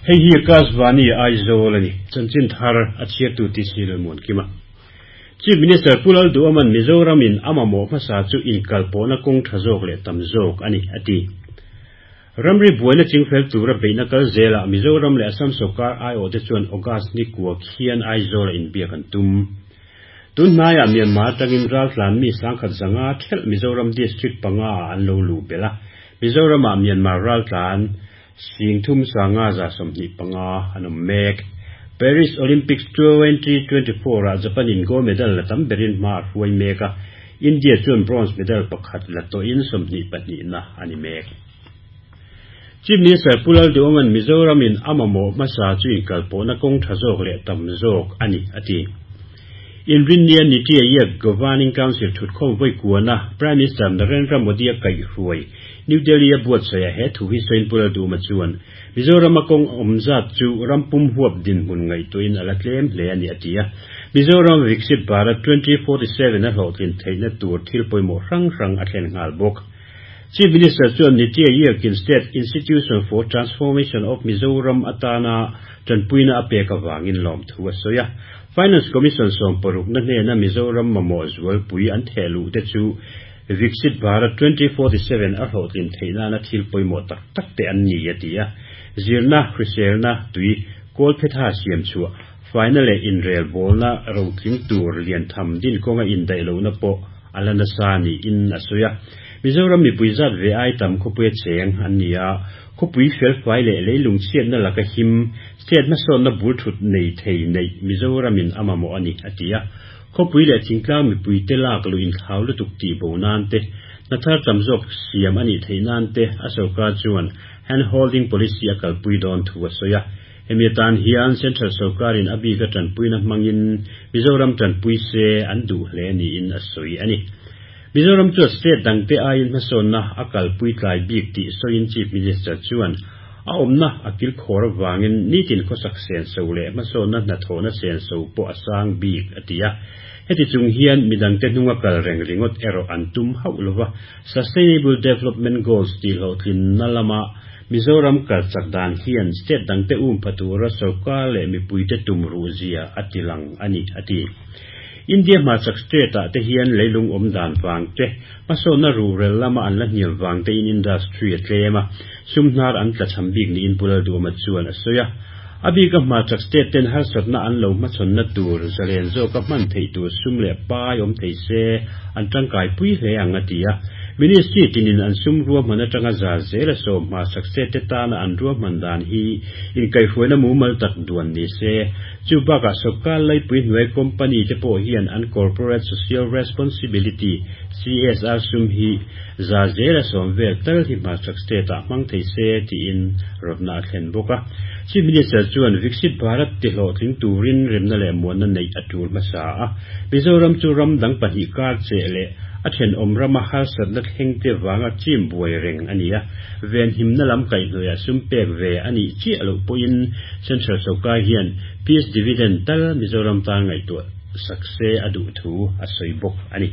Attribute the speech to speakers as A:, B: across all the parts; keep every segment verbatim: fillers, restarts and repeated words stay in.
A: Hei hi Akashvani Aizawl a ni. Chanchin thar a chhiartu T C Lalmuankima. Chief Minister Pu Lalduhoma'n Mizoramin a mamawh hmasa chu inkalpawhna kawng tha zawk leh tam zawk a ni, a ti. Ramri buaina chingfel tura beihna kal zelah Mizoram leh Assam sawrkar aiawh te chuan August ni kua khian Aizawl a inbiak an tum. Tunhnaiah Myanmar atangin raltlan mi sangkhat zanga thelh Mizoram district panga ah an lo luh belh a. Mizoramah Myanmar raltlan sing thum sanga za sawmhnih panga an awm mek. Paris Olympics twenty twenty-four ah Japan in gold medal la tam berin hma a hruai mek a. India chuan bronze medal pakhat la tawhin sawmhnih pahnih na a ni mek. Chief Minister Pu Lalduhoma'n Mizoram in a mamawh hmasa chu inkalpawhna kawng tha zawk leh tam zawk a ni, a ti. Inrinnia Niti Aayog Governing Council thutkhawm vawi kuana Prime Minister Narendra Modi a kaihhruai New Delhi a buatsaih a he thu hi sawiin Pu Lalduhoma chuan Mizoram a kawng awm zat chu rampum huap dinhmun ngaihtuahin a la tlem hle a ni, a ti a. Mizoram Viksit Bharat twenty forty-seven a hlawhtlin theihna tur thil pawimawh hrang hrang a thlen nghal bawk. Chief Minister chuan Niti Aayog in State Institution for Transformation of Mizoram atana tanpuina a pek awangin lawm thu a sawi a. Finance Commission sawm paruk na hnena Mizoram mamawh zualpui an thehluh te chu Viksit Bharat twenty forty-seven a hlawhtlin theihna na thil pawimawh tak tak te an ni, a ti a. Zirna, hriselna, tui, kawl phetha siam chhuah, final leh inrel bawlna rotling tur lian tham din kawnga indaih lohna pawh a la nasa niin a sawi a. Mizoram mipui zat ve ai tam khawpui a cheng an ni a. Khawpui felfai leh leilung chhiatna laka him, state hmasawnna bul thut nei thei nei Mizoramin a mamawh a ni, a ti a. Khawpui leh thingtlang mipui te lak lu inthlau lutuk tih bo nan te, hnathar tam zawk siam a nih theih nan te a sawrkar chuan hand holding policy a kalpui dawn thu a sawi a. Hemi atan hian Central sawrkarin a bik a tanpuina hmangin Mizoram tanpui se an duh hle niin a sawi a ni. Mizoram chu state dangte aiin hmasawnna a kalpui tlai bik tih sawiin Chief Minister chuan a awmna a kil khawr awangin nitin khawsak sen so leh hmasawnna hnathawhna sen so pawh a sang bik a ti a. Heti chung hian midangte hnunga kal reng ringawt erawh an tum hauh lova Sustainable Development Goals tih hlawhtlin na lama Mizoram kal chak dan hian state dangte um phatura sawrkar leh mipuite tum ruh zia a ti lang a ni, a ti. India hmarchak state ah te hian leilung awm dan vang te, hmasawnna rural lama an la hniam vang te in industry a tlem a, sumhnar an tla cham bik niin Pu Lalduhoma chuan a sawi a. A bik a hmarchak state ten harsatna an lo hmachhawnna tur zalen zawk a hman theih tur sum leh pai awm thei se an tangkai pui hle ang a ti a. Ministry tinin an sum ruahman atanga za zel a sawm hmarchak state te tana an ruahman dan hi inkaihhruaina mumal tak duan ni se. Chu bakah sawrkar laipui hnuai company te pawh hian an corporate social responsibility C S R sum hi za zel a sawm vel tal hi hmarchak state ah hmang thei se tiin rawtna a thlen bawk a. Chief Minister chuan Viksit Bharat ti hlawhtling turin remna leh muanna neih a tul hmasa a. Mizoram chu ram dang pahnih kar che leh a then awm rama harsatna thleng te wanga chim buai reng a ni a. Ven himna lam kaihhnuaiah sum pek ve a nih chiah loh pawhin Central sawrkar hian peace dividend tal Mizoram tan ngaihtuah sak se a duh thu a sawi bawk a ni.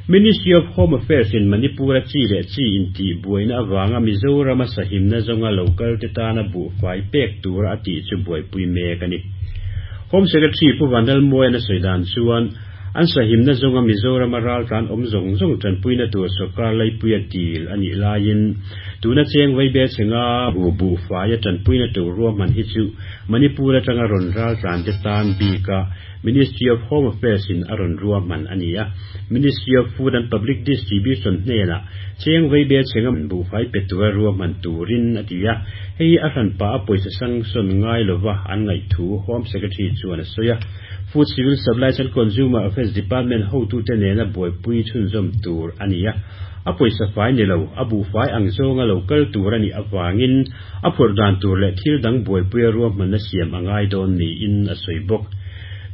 A: Ministry of Home Affairs in Manipur a chi leh chi intih buaina awanga Mizoram a sahimna zawnga local te tana buhfai pek tur a tih chu buaipui mek a ni. Home Secretary Pu Vanlalmuaia sawi dan chuan an sahimna zawnga Mizoram a raltlan awm zawng zawng tanpuina tur sawrkar laipui a dil a nih laiin tuna cheng vaibel chenga bu buhfai a tanpuina tur ruahman hi chu Manipur atanga rawn raltlan te tan bik a Ministry of Home Affairs in a rawn ruahman a ni a. Ministry of Food and Public Distribution hnena cheng vaibel chenga buhfai pe tura ruahman turin a ti a. Hei a hranpa a pawisa sanction ngai lova an ngaih thu Home Secretary chuan a sawi a. Food Civil Supplies and Consumer Affairs Department hotu te nena buaipui chhunzawm tur a ni a. A pawisa fai ni lo, a buhfai ang zawnga local tur a nih awangin a phurh dan tur leh thil dang buaipui a ruahmanna siam a ngai dawn niin a sawi bawk.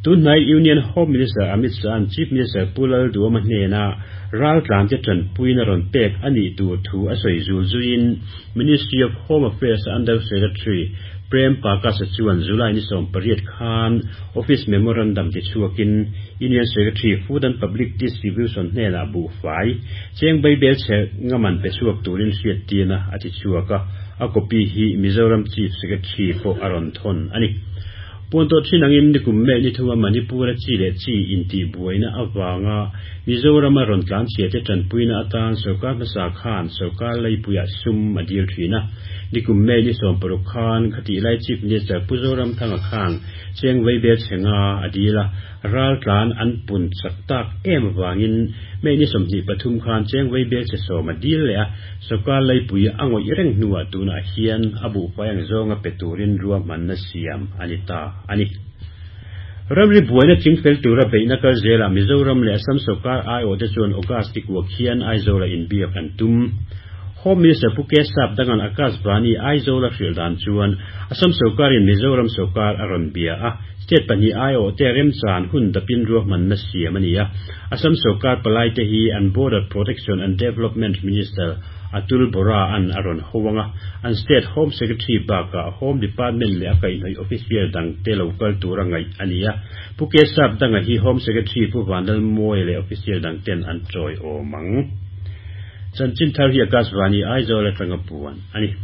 A: Tunhnai Union Home Minister Amit Shah an Chief Minister Pu Lalduhoma hnena raltlan te tanpuina rawn pek a nih tur thu a sawi zul zuiin Ministry of Home Affairs Under Secretary Prem Prakash chuan July ni sawm pariat khan Office Memorandum ti chhuakin Union Secretary Food and Public Distribution hnena buhfai cheng vaibel che ngaman pe chhuak turin hriat tina a ti chhuak a. A copy hi Mizoram Chief Secretary pawh a rawn thawn a ni. Puan tawh thin angin nikum May ni thuma Manipur a chi leh chi intihbuaina avanga Mizoram a rawn tlan chhia te tanpuina atan sorkar hmasa khan sorkar leipuiah sum a dil thin a. Nikum May ni sawm paruk khan khatih lai Chief Minister Pu Zoramthanga khan cheng vaibel chhenga a dil a, ral tlan an pun chak tak em avangin May ni sawmhnih pathum khan cheng vaibel che sawm a dil leh a, sorkar leipui a ngawih reng hnuah tunah hian a buhfai ang zawnga pe turin ruahmanna siam a ni ta a ni. Ramri buaina chingfel tura beihna kal zelah Mizoram leh Assam sorkar aiawh te chuan August ni kuah khian Aizawl a inbiak an tum. Home Minister Pu K Sapdanga'n Akashvani Aizawl a hrilh dan chuan Assam sorkarin Mizoram sorkar a rawn bia a, state pahnih aiawh te remchan hun dapin ruahmanna siam a ni a. Assam sorkar palai te hi an Border Protection and Development Minister Atul Bora an a rawn ho anga, an State Home Secretary bakah Home Department leh a kaihhnawih official dang te lo kal tura ngaih a ni a. Pu K Sapdanga hi Home Secretary Pu Vanlalmawia leh official dang ten an chawi awm ang. Chanchin thar hi Akashvani Aizawl atanga puan a ni.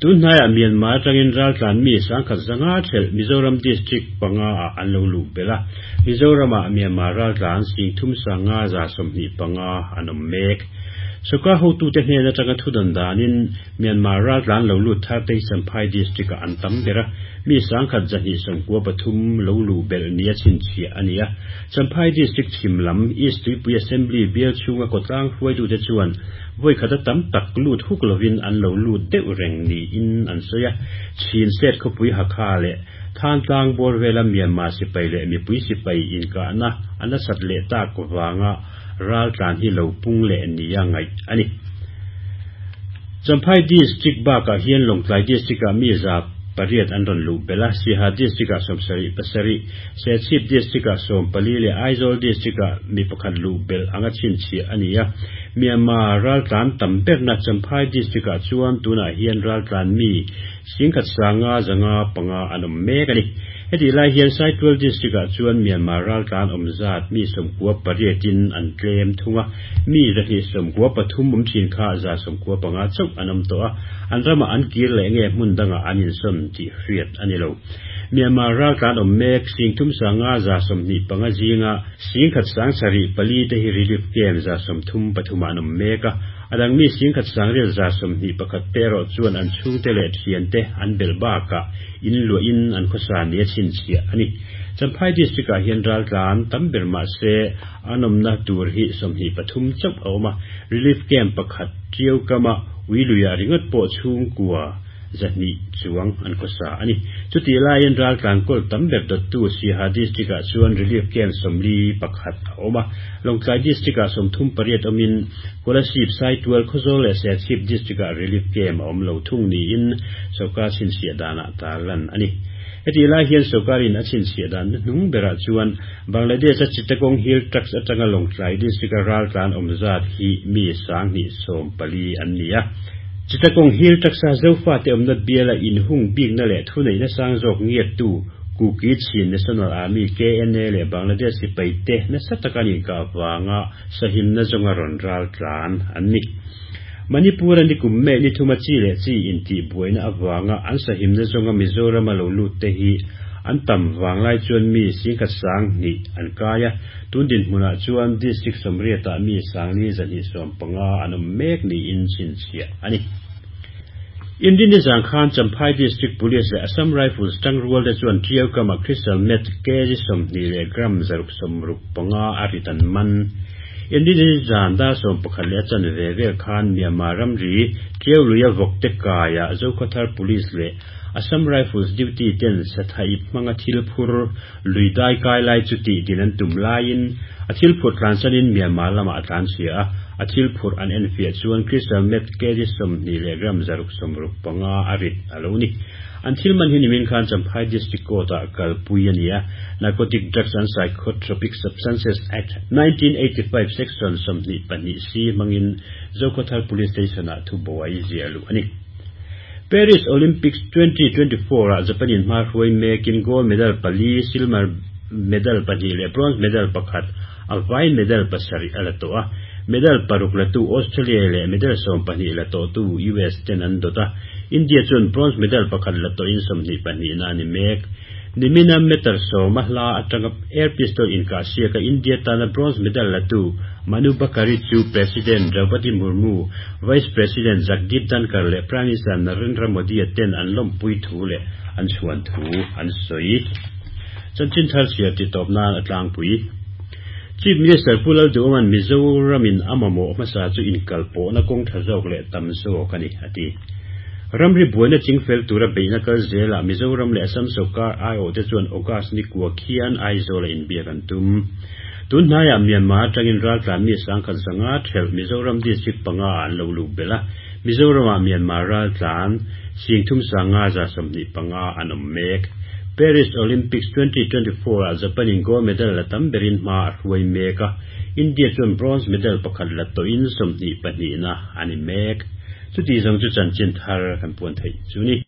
A: Tunhnaiah Myanmar atangin raltlan mi sangkhat zanga thelh Mizoram District panga ah an lo luh belh a. Mizoramah Myanmar raltlan sing thum sanga za sawmhnih panga an awm mek. Sorkar hotute hnen atanga thudan danin Myanmar raltlan lo lut thar te hi Champhai District ah an tam ber a, mi sangkhat zahnih sawmkua pathum lo luh belh nia chhinchhiah a ni a. Champhai District chhim lam East Tuipui Assembly bial chhunga kawtlang hruaitute chuan vawi khat a tam tak lut huk lovin an lo lut deuh reng niin an sawi a. Chin State khawpui Hakha leh Thantlang bawr vela Myanmar sipai leh mipui sipai inkahna an a sat leh tak vanga raltlan hi lo pung leh nia ngaih a ni. Champhai District bakah hian Lawngtlai District ah mi za pariat an rawn luh belh a, Siaha District ah sawmsarih pasarih, Serchhip District ah sawm pali leh Aizawl District ah mi pakhat luh belh anga chhinchhiah a ni a. Myanmar raltlan tam berna Champhai District ah chuan tunah hian raltlan mi singkhat sanga zanga panga an awm mek a ni. Heti lai hian Saitual District ah chuan Myanmar raltlan awm zat mi sawmkua pariatin an tlem thung a, mi zahnih sawmkua pathum awm thin kha za sawmkua panga chauh an awm tawh a, an ramah an kir leh nge hmun dangah an insawn tih hriat a ni lo. Myanmar raltlan awm mek singthum sanga za sawmhnih panga zinga singkhat sang sarih pali te hi relief camp za sawmthum pathumah an awm mek a, adang mi singkhat sangrel za sawmhnih pakhat te erawh chuan an chhungte leh thiante an belh bakah in luahin an khawsa nia chhinchhiah a ni. Champhai District ah hian raltlan tam ber mahse an awmna tur hi sawmhnih pathum chauh a awm a, relief camp pakhat Tiau kama uiluiah ringawt pawh chhungkua zahnih chuang an khawsa a ni. Chuti laiin raltlan kawl tam ber dawttu Siaha District ah chuan relief camp sawmli pakhat a awm a, Lawngtlai District ah sawmthum pariat awmin Kolasib Saitual Khawzawl leh Serchhip District ah relief camp a awm lo thung niin sorkar chhinchhiah danah tarlan a ni. Heti lai hian sorkarin a chhinchhiah dan hnung berah chuan Bangladesh a Chittagong Hill Tracts atanga Lawngtlai District a raltlan awm zat hi mi sanghnih sawm pali an ni a. Chittagong Hill Tracts a Zofa te awmna biala inhung bikna leh thuneihna sang zawk ngiattu Kuki Chin National Army K N A leh Bangladesh sipai te nasa taka an inkah vanga sahimna zawnga rawn raltlan an ni. Manipur a nikum May ni thuma chi leh chi intihbuaina avanga an sahimna zawnga Mizoram a lo lut te hi an tam vanglai chuan mi singkhat sang hnih an kai a, tun dinhmunah chuan District sawmriatah mi sangli zahnih sawm panga an awm mek niin chhinchhiah a ni. Indini zang khan Champhai District Police leh Assam Rifles tangrual te chuan Tiau kama Crystal Meth kg sawmhnih leh gram zaruk sawmruk panga a rit an man. Indini zan dar sawm pakhat leh a chan ve vel khan Myanmar ramri Tiau luia vawk te kaiah Zokhawthar Police leh Assam Rifles duty ten sathaip hmanga thil phur lui dai kai lai chu tih din an tum laiin a thil phur tlansanin Myanmar lamah a tlan chhia a, a thil phur an en fiah chuan Crystal Meth kg sawmhnih leh gram zaruk sawmruk panga a rit a lo ni. An thil man hi nimin khan Champhai District Court ah kalpui a ni a, Narcotic Drugs and Psychotropic Substances Act nineteen eighty-five section sawmhnih pahnih c hmangin Zokhawthar Police Station ah thubuai ziah luh a ni. Paris Olympics twenty twenty-four ah Japanin hma hruai mekin gold medal pali, silver medal pahnih leh bronze medal pakhat, a vai medal pasarih a la tawh a. Medal paruk la tu Australia leh medal sawm pahnih la tawh tu U S ten an dawt a. India chuan bronze medal pakhat la tawhin sawmhnih pahnihna a ni mek. Nimina meter sawma hla atanga air pistol inkahsiaka India tana bronze medal la tu Manu Bhaker chu President Draupadi Murmu, Vice President Jagdeep Dhankhar leh Prime Minister Narendra Modi ten an lawmpui thu leh an chhuan thu an sawi. Chanchin thar chhiar ti tawp nan a tlangpui. Chief Minister Pu Lalduhoma'n Mizoramin a mamawh hmasa chu inkalpawhna kawng tha zawk leh tam zawk a ni a ti. Ramri buaina chingfel tura beihna kal zelah Mizoram leh Assam sawrkar aiawh te chuan August ni kua khian Aizawl a inbiak an tum. Tun hnaiah Myanmar atangin raltlan mi sangkhat zanga thelh Mizoram district panga an lo lut belh a. Mizoramah Myanmar raltlan singthum sanga za sawmhnih panga an awm mek. Paris Olympics twenty twenty-four ah Japan in gold medal la tam berin hma a hruai mek a. India chuan bronze medal pakhat la tawhin sawmhnih pahnihna a ni mek. Chuti zawng chu chanchin thar kan puan theih chu ni.